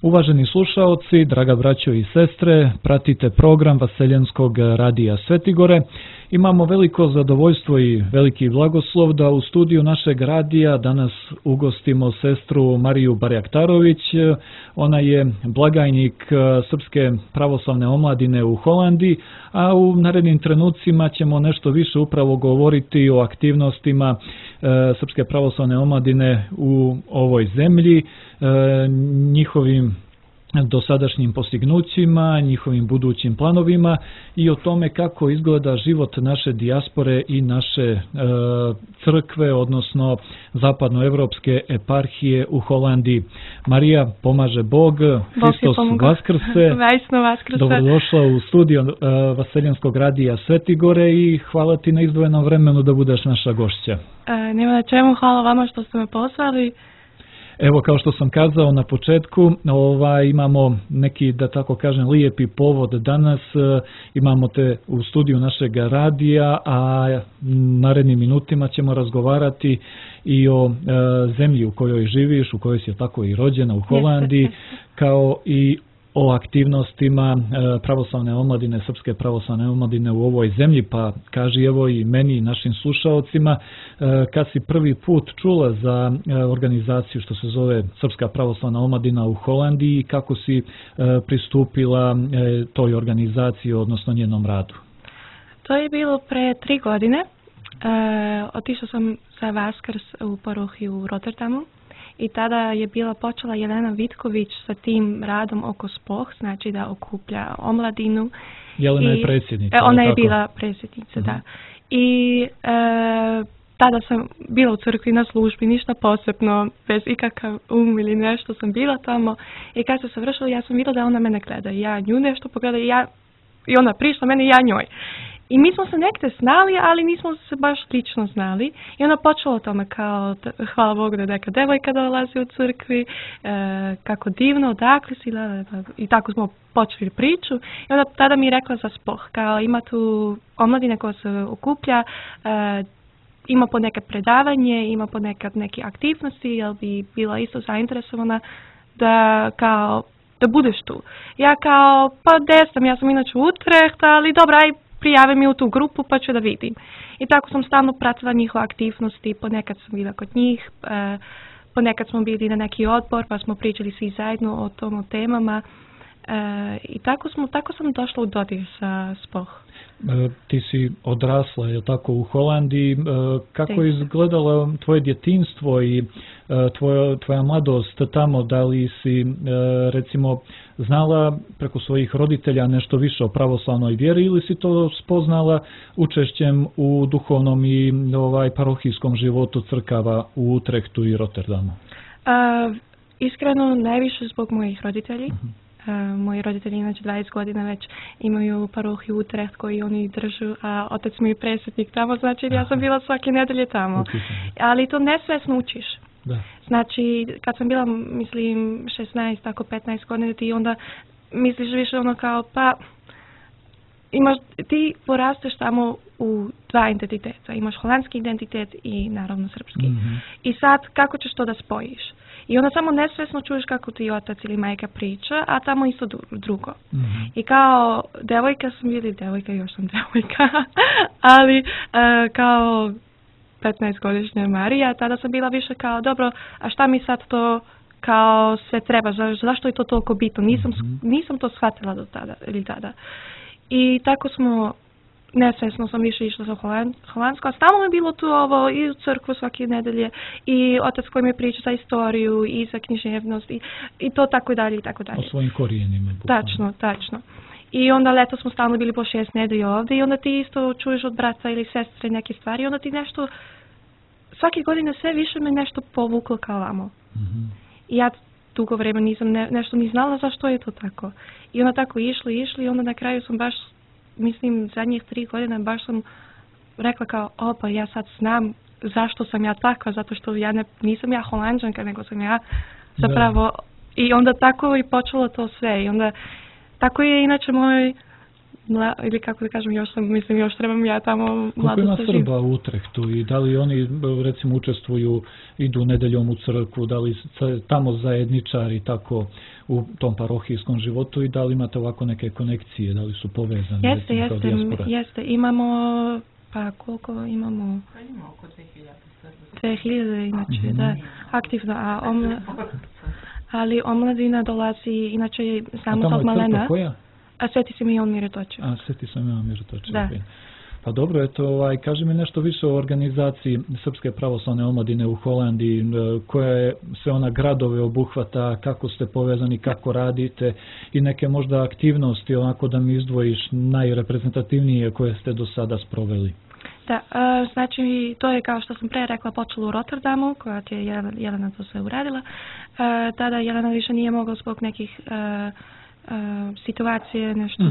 Uvaženi slušaoci, draga braćo i sestre, pratite program Vaseljenskog radija Svetigore. Imamo veliko zadovoljstvo i veliki blagoslov da u studiju našeg radija danas ugostimo sestru Mariju Barjaktarović. Ona je blagajnik Srpske pravoslavne omladine u Holandiji, a u narednim trenucima ćemo nešto više upravo govoriti o aktivnostima Srpske pravoslavne omladine u ovoj zemlji, njihovim dosadašnjim postignućima, njihovim budućim planovima i o tome kako izgleda život naše dijaspore i naše crkve, odnosno zapadnoevropske eparhije u Holandiji. Marija, pomaže Bog, Hristos Vaskrse. Dobrodošla u studio Vaseljenskog radija Svetigore i hvala ti na izdvojenom vremenu da budeš naša gošća. Nema na čemu, hvala vama što ste me pozvali. Evo, kao što sam kazao na početku, imamo neki, da tako kažem, lijepi povod danas. Imamo te u studiju našeg radija, a narednim minutima ćemo razgovarati i o zemlji u kojoj živiš, u kojoj si tako i rođena, u Holandiji, kao i o aktivnostima pravoslavne omladine, Srpske pravoslavne omladine u ovoj zemlji, pa kaži evo i meni i našim slušaocima, kad si prvi put čula za organizaciju što se zove Srpska pravoslavna omladina u Holandiji, kako si pristupila toj organizaciji, odnosno njenom radu? To je bilo pre 3 godine. Otišla sam za Vaskrs u parohiju u Rotterdamu. I tada je počela Jelena Vitković sa tim radom oko SPOH, znači da okuplja omladinu. Jelena je predsjednica. Ona je bila predsjednica, da. I tada sam bila u crkvi na službi, ništa posebno, bez ikakav ili nešto sam bila tamo. I kad se završila, ja sam vidjela da ona mene gleda. Ja nju nešto pogledala i ona prišla meni, ja njoj. I mi smo se nekde znali, ali nismo se baš lično znali. I ona počela o tome kao, hvala Bogu da je neka devojka dolazi u crkvi, kako divno, odakle si, i tako smo počeli priču. I onda tada mi je rekla za SPOH, kao ima tu omladina koja se okuplja, ima po neke predavanje, ima po neke aktivnosti, jel bi bila isto zainteresovana da budeš tu. Ja kao, pa desam, ja sam inače u Utrecht, ali dobra, aj prijave mi u tu grupu pa ću da vidim. I tako sam stalno pratila njihove aktivnosti, ponekad sam bila kod njih, ponekad smo bili na neki odbor pa smo pričali svi zajedno o temama i tako sam došla u dodir sa SPOH. Ti si odrasla, je tako, u Holandiji. Kako je izgledalo tvoje djetinjstvo i tvoja mladost tamo? Da li si, recimo, znala preko svojih roditelja nešto više o pravoslavnoj vjeri ili si to spoznala učešćem u duhovnom i parohijskom životu crkava u Utrechtu i Rotterdamu? Iskreno, najviše zbog mojih roditelji. Moji roditelji inače 20 godina već imaju parohiju Utrecht koji oni držu, a otac mi je predsjednik tamo, znači ja sam bila svake nedelje tamo. Ali to nesvjesno učiš. Da. Znači, kad sam bila, mislim, 16, tako 15 godina, ti onda misliš više ono kao, pa ti porasteš tamo u 2 identiteta. Imaš holandski identitet i naravno srpski. I sad, kako ćeš to da spojiš? I onda samo nesvjesno čuješ kako ti otac ili majka priča, a tamo isto drugo. I kao devojka sam još sam devojka, ali kao 15-godišnja Marija, tada sam bila više kao, dobro, a šta mi sad to kao se treba, zašto je to toliko bitno? Nisam to shvatila do tada. I tako nesvjesno sam više išla za holandsko, a stalno je bilo tu ovo i u crkvu svake nedelje i otac koji mi priča za istoriju i za književnost i to tako i dalje i tako dalje. O svojim korijenima. Tačno. I onda leto smo stalno bili po 6 nedelje ovdje i onda ti isto čuješ od brata ili sestre neke stvari i onda ti nešto, svake godine sve više me nešto povuklo kao vamo. I ja dugo vremena nisam nešto ni znala zašto je to tako. I onda tako išli i onda na kraju sam baš, mislim, zadnjih 3 godine baš sam rekla kao, pa ja sad znam zašto sam ja takva, zato što nisam ja Holanđanka, nego sam ja zapravo, i onda tako i počelo to sve. I onda tako je inače ili kako da kažem, još trebam ja tamo mlado ima Srba u Utrehtu i da li oni recimo učestvuju, idu nedeljom u crkvu, da li tamo zajedničari tako u tom parohijskom životu i da li imate ovako neke konekcije, da li su povezani? Jeste, imamo, pa koliko imamo? Pa ima oko 2000 inače, da, aktivno, ali omladina dolazi, inače samo tog malena. A tamo je crkva koja? A Sveti Simeon Mirotočev. Sveti Simeon Mirotočev. Da. Pa dobro, eto, kaži mi nešto više o organizaciji Srpske pravoslavne omladine u Holandiji, koja je sve ona gradove obuhvata, kako ste povezani, kako radite i neke možda aktivnosti, onako da mi izdvojiš najreprezentativnije koje ste do sada sproveli. Da, znači to je kao što sam pre rekla počelo u Rotterdamu, koja je Jelena to sve uradila. Tada Jelena više nije mogla zbog nekih situacije, nešto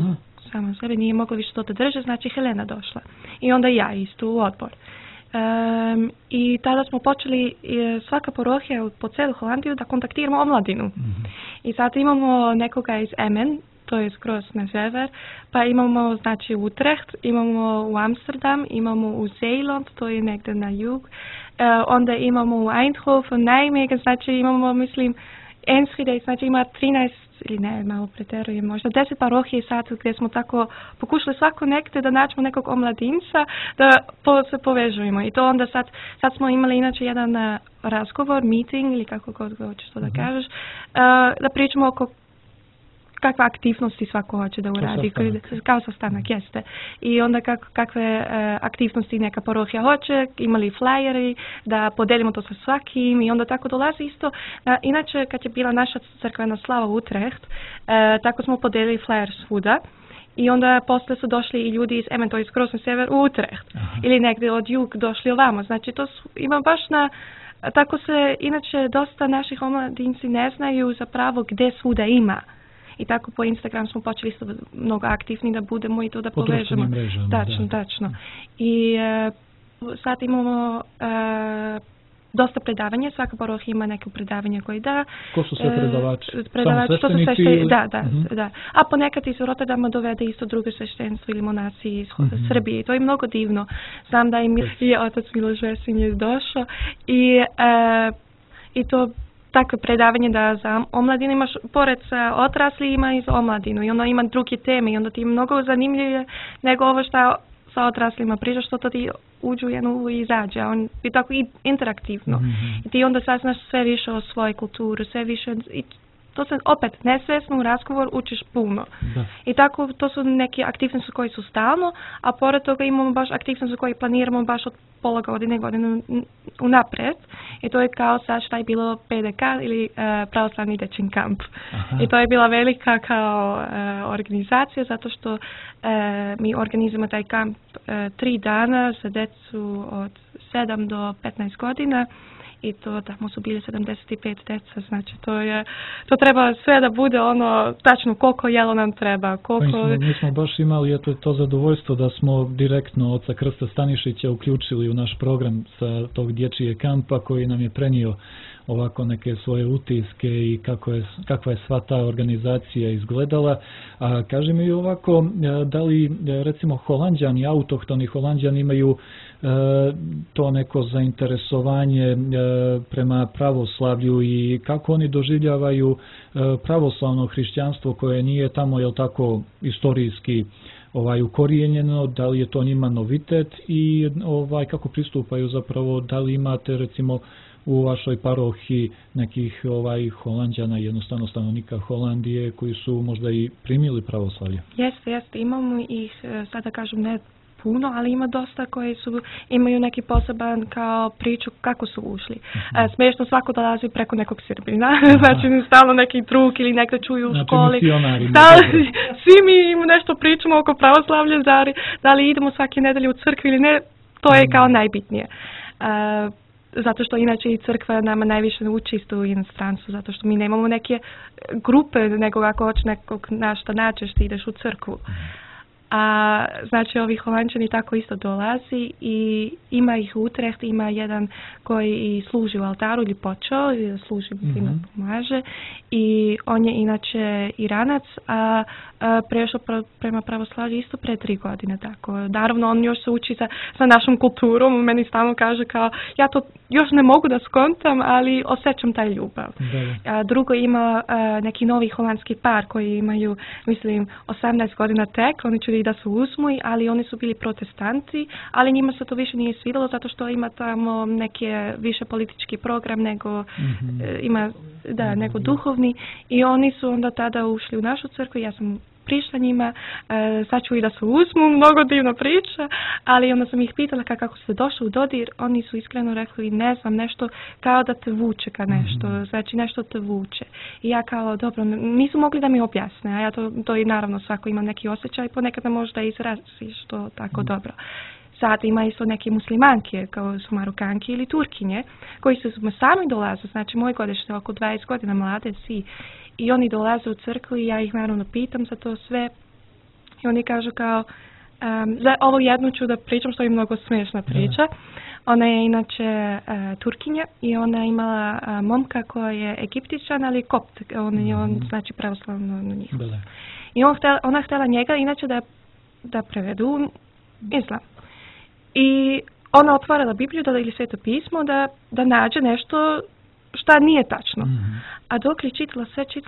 samo sebe, nije mogla više to da drže, znači Helena došla. I onda ja isto u odbor. I tada smo počeli svaka parohija po celu Holandiju da kontaktiramo omladinu. I sad imamo nekoga iz Emmen, to je skroz na sever, pa imamo znači Utrecht, imamo u Amsterdam, imamo u Zeeland, to je negdje na jug, onda imamo u Eindhoven, Nijmegen, znači imamo, mislim, Enschede, znači ima 13, ili ne, malo preterujem, možda 10 parohije sad gdje smo tako pokušali svako nekde da nađemo nekog omladinca, da se povežujemo. I to onda sad smo imali inače jedan razgovor, meeting, ili kako god hoćeš to da kažeš, da pričamo oko kakve aktivnosti svako hoće da uradi, kao sastanak, jeste. I onda kakve aktivnosti neka parohija hoće, imali flyeri, da podelimo to sa svakim i onda tako dolazi isto. Inače, kad je bila naša crkvena slava Utrecht, tako smo podelili flyer svuda. I onda posle su došli i ljudi iz Emmen, to je skroz na sever, u Utrecht. Ili negdje od jug došli ovamo. Znači, to ima baš tako se, inače, dosta naših omladinci ne znaju zapravo gdje svuda ima. I tako po Instagram smo počeli isto mnogo aktivni da budemo i to da povežemo. Tačno. I sad imamo dosta predavanja, svaka parohija ima neko predavanje koje da. Ko su sve predavači? To su sveštenici? Da. A ponekad iz Rotterdama dovede isto drugo sveštenstvo ili monasi iz Srbije. I to je mnogo divno. Znam da im je otac Miloš Vesin je došao i to takve predavanje da za omladinu imaš, pored odrasli ima i za omladinu i onda ima druge teme i onda ti je mnogo zanimljivije nego ovo što sa odraslima priča, što to ti uđu jednu i izađe, a on je tako i interaktivno. I ti onda saznaš sve više o svojoj kulturi, sve više, i to se opet nesvjesno u razgovor učiš puno. Da. I tako to su neke aktivnosti koji su stalno, a pored toga imamo baš aktivnosti koje planiramo baš od pola godine unaprijed. I to je kao sad šta je bilo PDK ili pravoslavni dečin kamp. I to je bila velika kao organizacija zato što mi organizujemo taj kamp 3 dana za decu od 7 do 15 godina. I to tamo su bili 75 deca, znači to treba sve da bude ono tačno koliko jelo nam treba. Mi smo baš imali to zadovoljstvo da smo direktno oca Krsta Stanišića uključili u naš program sa tog dječije kampa koji nam je prenio ovako neke svoje utiske i kakva je sva ta organizacija izgledala. A kaži mi ovako, da li recimo Holanđani, autohtoni Holanđani imaju to neko zainteresovanje prema pravoslavlju i kako oni doživljavaju pravoslavno hrišćanstvo koje nije tamo, jel tako, istorijski ukorijenjeno, da li je to njima novitet i kako pristupaju zapravo, da li imate recimo u vašoj parohiji nekih Holanđana, jednostavno stanovnika Holandije koji su možda i primili pravoslavlje? Jeste, imamo ih, sada kažem ne puno, ali ima dosta koji imaju neki poseban kao priču kako su ušli. Smiješno svako dolazi preko nekog Srbina, znači stalno neki drug ili nekde čuju u školi. Svi mi im nešto pričamo oko pravoslavlja, da li idemo svake nedelje u crkvi ili ne, to je kao najbitnije. Zato što inače i crkva nama najviše uči isto u inostranstvu, zato što mi nemamo neke grupe, nego ako hoće nekog našta nađeš, ti ideš u crkvu. A znači ovi Holanđani tako isto dolazi i ima ih u Utrecht, ima jedan koji služi u altaru ili počeo, služi pomaže i on je inače Iranac, a prešao prema pravoslavlju isto pre 3 godine. Tako. Naravno on još se uči sa našom kulturom, meni stalno kaže kao ja to još ne mogu da skontam, ali osjećam taj ljubav. Drugo ima neki novi holandski par koji imaju, mislim, 18 godina tek, oni će da su uzmuj, ali oni su bili protestanti, ali njima se to više nije svidjelo zato što ima tamo neke više politički program nego ima nego duhovni i oni su onda tada ušli u našu crkvu, ja sam prišla njima, sad ću i da se uzmu, mnogo divna priča, ali onda sam ih pitala kako se došlo u dodir, oni su iskreno rekli, ne znam, nešto kao da te vuče ka nešto, znači nešto te vuče. I ja kao, dobro, nisu mogli da mi objasne, a ja to i naravno svako ima neki osjećaj, ponekad ne možda izraziš to tako dobro. Sad ima isto neke muslimanke, kao su Marokanke ili Turkinje, koji su sami dolaze, znači moje godište, oko 20 godina mlade svi, i oni dolaze u crkvu i ja ih naravno pitam za to sve. I oni kažu kao, za ovo jednu ću da pričam što je mnogo smiješna priča. Ona je inače Turkinja i ona je imala momka koji je Egiptičan, ali kopt, on znači pravoslavno na njih. I ona htjela njega inače da prevedu islam. I ona otvorila Bibliju ili Sveto pismo da nađe nešto šta nije tačno. A dok je čitala,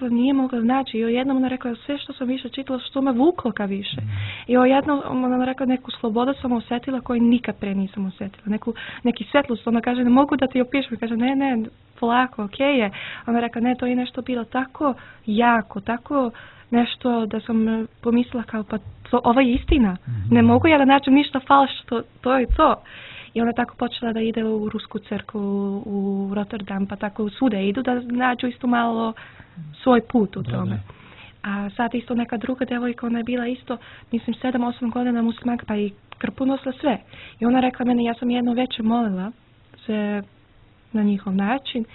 nije mogla naći. I jednom ona rekla, sve što sam više čitala, što me vuklo ka više. I jednom ona rekla, neku slobodu sam osjetila koju nikad pre nisam osjetila. Neki svjetlost. Ona kaže, ne mogu da ti opišem. Kaže, ne, polako, okej je. Ona rekla, ne, to je nešto bilo tako jako, tako nešto da sam pomislila kao, pa ovo je istina. Ne mogu ja da nađem ništa falš, to je to. I ona tako počela da ide u Rusku crkvu, u Rotterdam, pa tako svude idu da nađu isto malo svoj put u tome. A sad isto neka druga devojka, ona je bila isto, mislim, 7-8 godina muslimanka, pa i krpu nosila sve. I ona rekla meni, ja sam jedno večer molila se na njihov način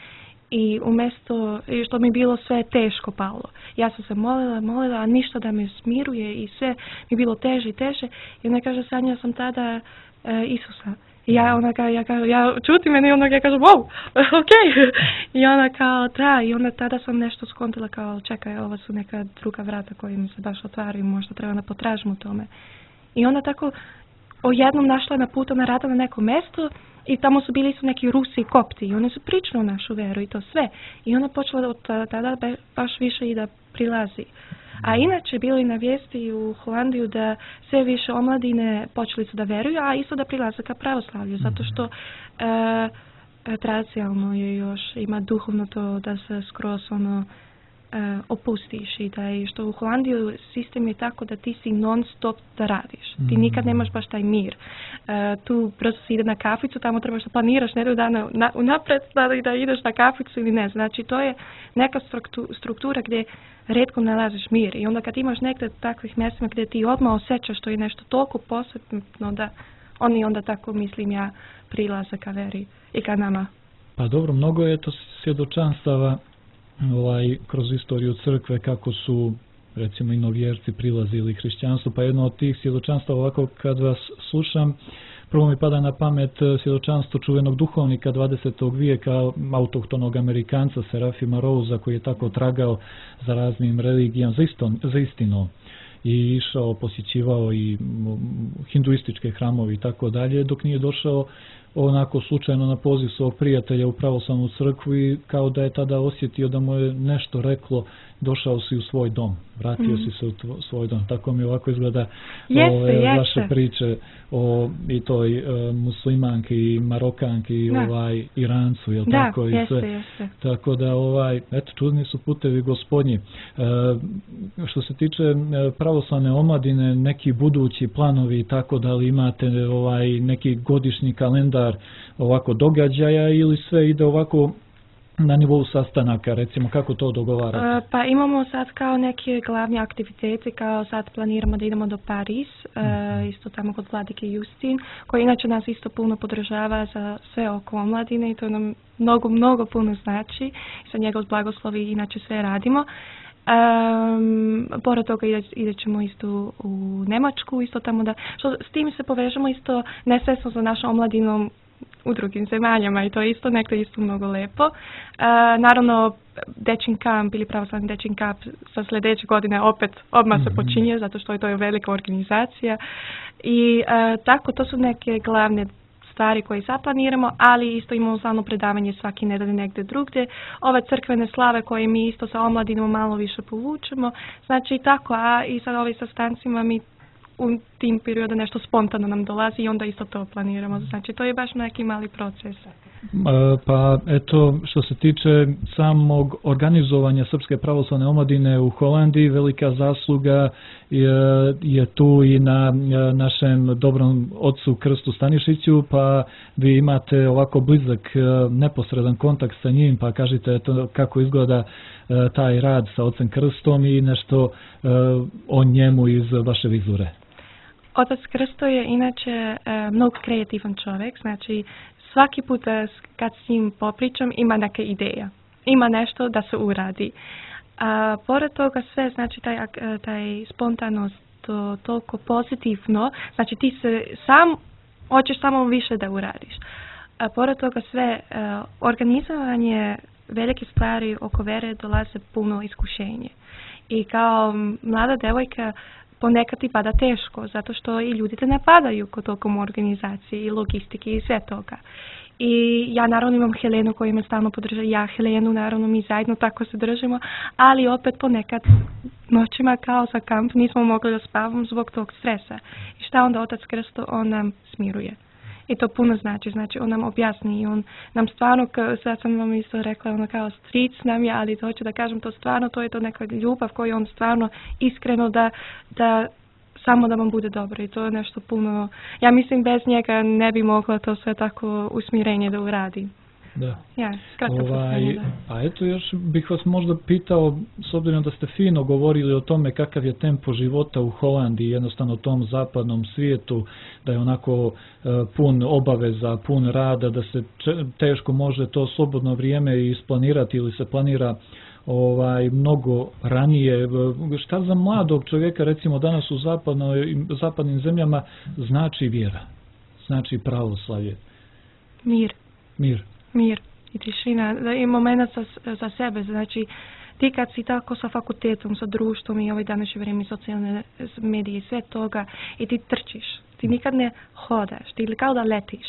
i umjesto, što mi bilo sve teško palo. Ja sam se molila, a ništa da me smiruje i sve mi bilo teže i teže. I ona kaže, sanjala sam tada Isusa. I ja čutim meni i onda ja kažem, wow, okej. I ona kao, i onda tada sam nešto skontila kao, čekaj, ovo su neka druga vrata koja mi se baš otvaraju, možda treba da potražim u tome. I onda tako odjednom našla na putu na rada na neko mjesto i tamo su bili neki Rusi i Kopti i oni su pričali o našu veru i to sve. I ona počela od tada baš više i da prilazi. A inače bilo i na vijesti u Holandiju da sve više omladine počeli su da veruju, a isto da prilaze ka pravoslavlju, zato što tradicionalno je još, ima duhovno to da se skroz opustiš i što u Holandiju sistem je tako da ti si non stop da radiš. Ti nikad nemaš baš taj mir. Tu brzo si ide na kaficu, tamo trebaš da planiraš nedelju dana unapred da ideš na kaficu ili ne. Znači to je neka struktura gdje retko nalaziš mir. I onda kad imaš nekde takvih mjestima gdje ti odmah osjećaš što je nešto toliko posebno da oni onda tako, mislim ja, prilaze ka veri i ka nama. Pa dobro, mnogo je to svjedočanstava kroz istoriju crkve kako su recimo i novjerci prilazili hrišćanstvu, pa jedno od tih svjedočanstava ovako kad vas slušam, prvo mi pada na pamet svjedočanstvo čuvenog duhovnika 20. vijeka, autohtonog Amerikanca Serafima Rosea, koji je tako tragao za raznim religijama, za istinom i išao, posjećivao i hinduističke hramove i tako dalje, dok nije došao onako slučajno na poziv svog prijatelja u pravoslavnu crkvu i kao da je tada osjetio da mu je nešto reklo, došao si u svoj dom, vratio si se u svoj dom. Tako mi ovako izgleda vaše priče o i toj muslimanki i Marokanki i Irancu, jel tako? I sve. Tako da eto, čudni su putevi Gospodnji. Što se tiče pravoslavne omladine, neki budući planovi i tako, da li imate neki godišnji kalendar ovako događaja ili sve ide ovako na nivou sastanaka, recimo, kako to dogovarate? Pa imamo sad kao neke glavne aktivitete, kao sad planiramo da idemo do Paris, isto tamo kod vladike Justin, koji inače nas isto puno podržava za sve oko omladine i to nam mnogo puno znači. Sa njegov blagoslovi inače sve radimo. Pored toga ide ćemo isto u Njemačku, isto tamo da, s tim se povežemo isto nesvjesno za našom omladinom u drugim zemaljama i to je isto nekdo isto mnogo lepo. Naravno, dečin kamp ili pravoslavni dečin kamp sa sljedeće godine opet odmah se počinje, zato što je to velika organizacija. I tako, to su neke glavne stvari koje zaplaniramo, ali isto imamo stalno predavanje svaki nedelje negdje drugdje. Ove crkvene slave koje mi isto sa omladinom malo više povučemo. Znači tako, a i sa ovim sastancima mi u tim periodu nešto spontano nam dolazi i onda isto to planiramo. Znači to je baš neki mali proces. Pa eto, što se tiče samog organizovanja Srpske pravoslavne omladine u Holandiji, velika zasluga je tu i na našem dobrom ocu Krstu Stanišiću, pa vi imate ovako blizak, neposredan kontakt sa njim, pa kažite eto, kako izgleda taj rad sa ocem Krstom i nešto o njemu iz vaše vizure. Otac Krsto je inače mnogo kreativan čovjek, znači svaki put kad s njim popričam ima neka ideja, ima nešto da se uradi. A pored toga sve, znači taj spontanost, to toliko pozitivno, znači ti se sam hoćeš samo više da uradiš. A pored toga sve, organizovanje velike stvari oko vere dolaze puno iskušenje. I kao mlada devojka ponekad ti pada teško, zato što i ljudi te napadaju kod tokom organizacije i logistike i sve toga. I ja naravno imam Helenu koja me stalno podržava, ja Helenu naravno mi zajedno tako se držimo, ali opet ponekad noćima kao za kamp nismo mogli da spavamo zbog tog stresa. I šta onda Otac Krsto, on nam smiruje. I to puno znači on nam objasni i on nam stvarno, sad sam vam isto rekla, ono kao stric nam je, ali hoću da kažem to stvarno, to je to neka ljubav koju on stvarno iskreno da samo da vam bude dobro i to je nešto puno, ja mislim bez njega ne bi mogla to sve tako usmjerenje da uradi. Da. Ja, a eto još bih vas možda pitao, s obzirom da ste fino govorili o tome kakav je tempo života u Holandiji, jednostavno tom zapadnom svijetu, da je onako pun obaveza, pun rada, da se teško može to slobodno vrijeme isplanirati ili se planira mnogo ranije. Šta za mladog čovjeka recimo danas u zapadnim zemljama znači vjera, znači pravoslavlje? Mir i tišina i moment za sebe, znači ti kad si tako sa fakultetom, sa društvom i ovaj današnje vrijeme socijalne medije i sve toga i ti trčiš, ti nikad ne hodaš, ti kao da letiš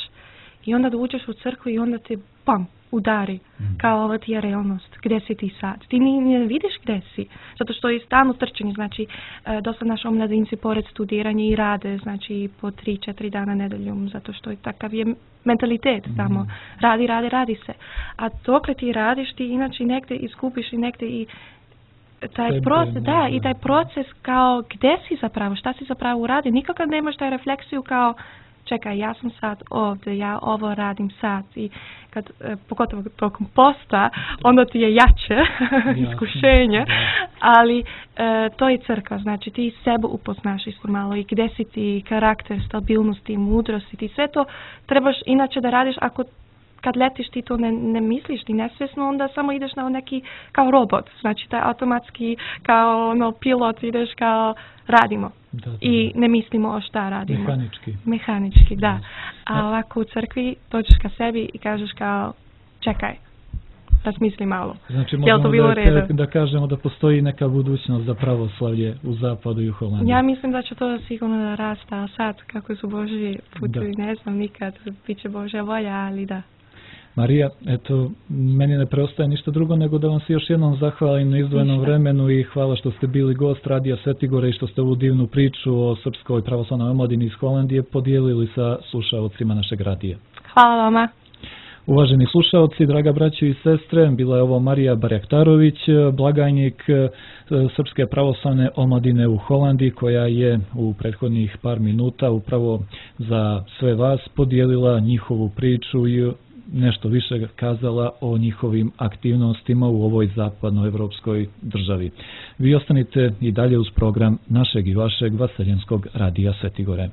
i onda da uđeš u crkvu i onda te pam, udari, kao ovo ti je realnost, gdje si ti sad? Ti ne vidiš gdje si, zato što je stalno trčanje, znači dosta naši omladinci pored studiranja i rade, znači po 3-4 dana nedeljom, zato što je takav je mentalitet tamo, radi se. A dokle ti radiš, ti inače negdje izgubiš i negdje i taj proces, i taj proces kao gdje si zapravo, šta si zapravo uradi, nikakav nemaš taj refleksiju kao čekaj, ja sam sad ovdje, ja ovo radim sad i kad, pogotovo tokom posta, onda ti je jače iskušenje, ali to je crkva, znači ti sebe upoznaš isto malo i gdje si ti, karakter, stabilnosti, mudrosti, ti sve to trebaš inače da radiš ako kad letiš ti to ne misliš, ti nesvjesno, onda samo ideš na neki kao robot, znači taj automatski kao pilot ideš kao radimo. Da. I ne mislimo o šta radimo. Mehanički, da. A ovako u crkvi dođeš ka sebi i kažeš kao čekaj, razmisli malo. Znači možemo da kažemo da postoji neka budućnost za pravoslavlje u zapadu i u Holandiji. Ja mislim da će to sigurno rasta, a sad kako su Božji putevi, ne znam nikad, bit će Božja volja, ali da. Marija, eto, meni ne preostaje ništa drugo nego da vam se još jednom zahvalim na izdvojenom vremenu i hvala što ste bili gost Radija Svetigore i što ste ovu divnu priču o Srpskoj pravoslavnoj omladini iz Holandije podijelili sa slušaocima našeg radija. Hvala vama. Uvaženi slušaoci, draga braćo i sestre, bila je ovo Marija Barjaktarović, blagajnik Srpske pravoslavne omladine u Holandiji, koja je u prethodnih par minuta upravo za sve vas podijelila njihovu priču i nešto više kazala o njihovim aktivnostima u ovoj zapadnoevropskoj državi. Vi ostanite i dalje uz program našeg i vašeg Vaseljenskog radija Svetigore.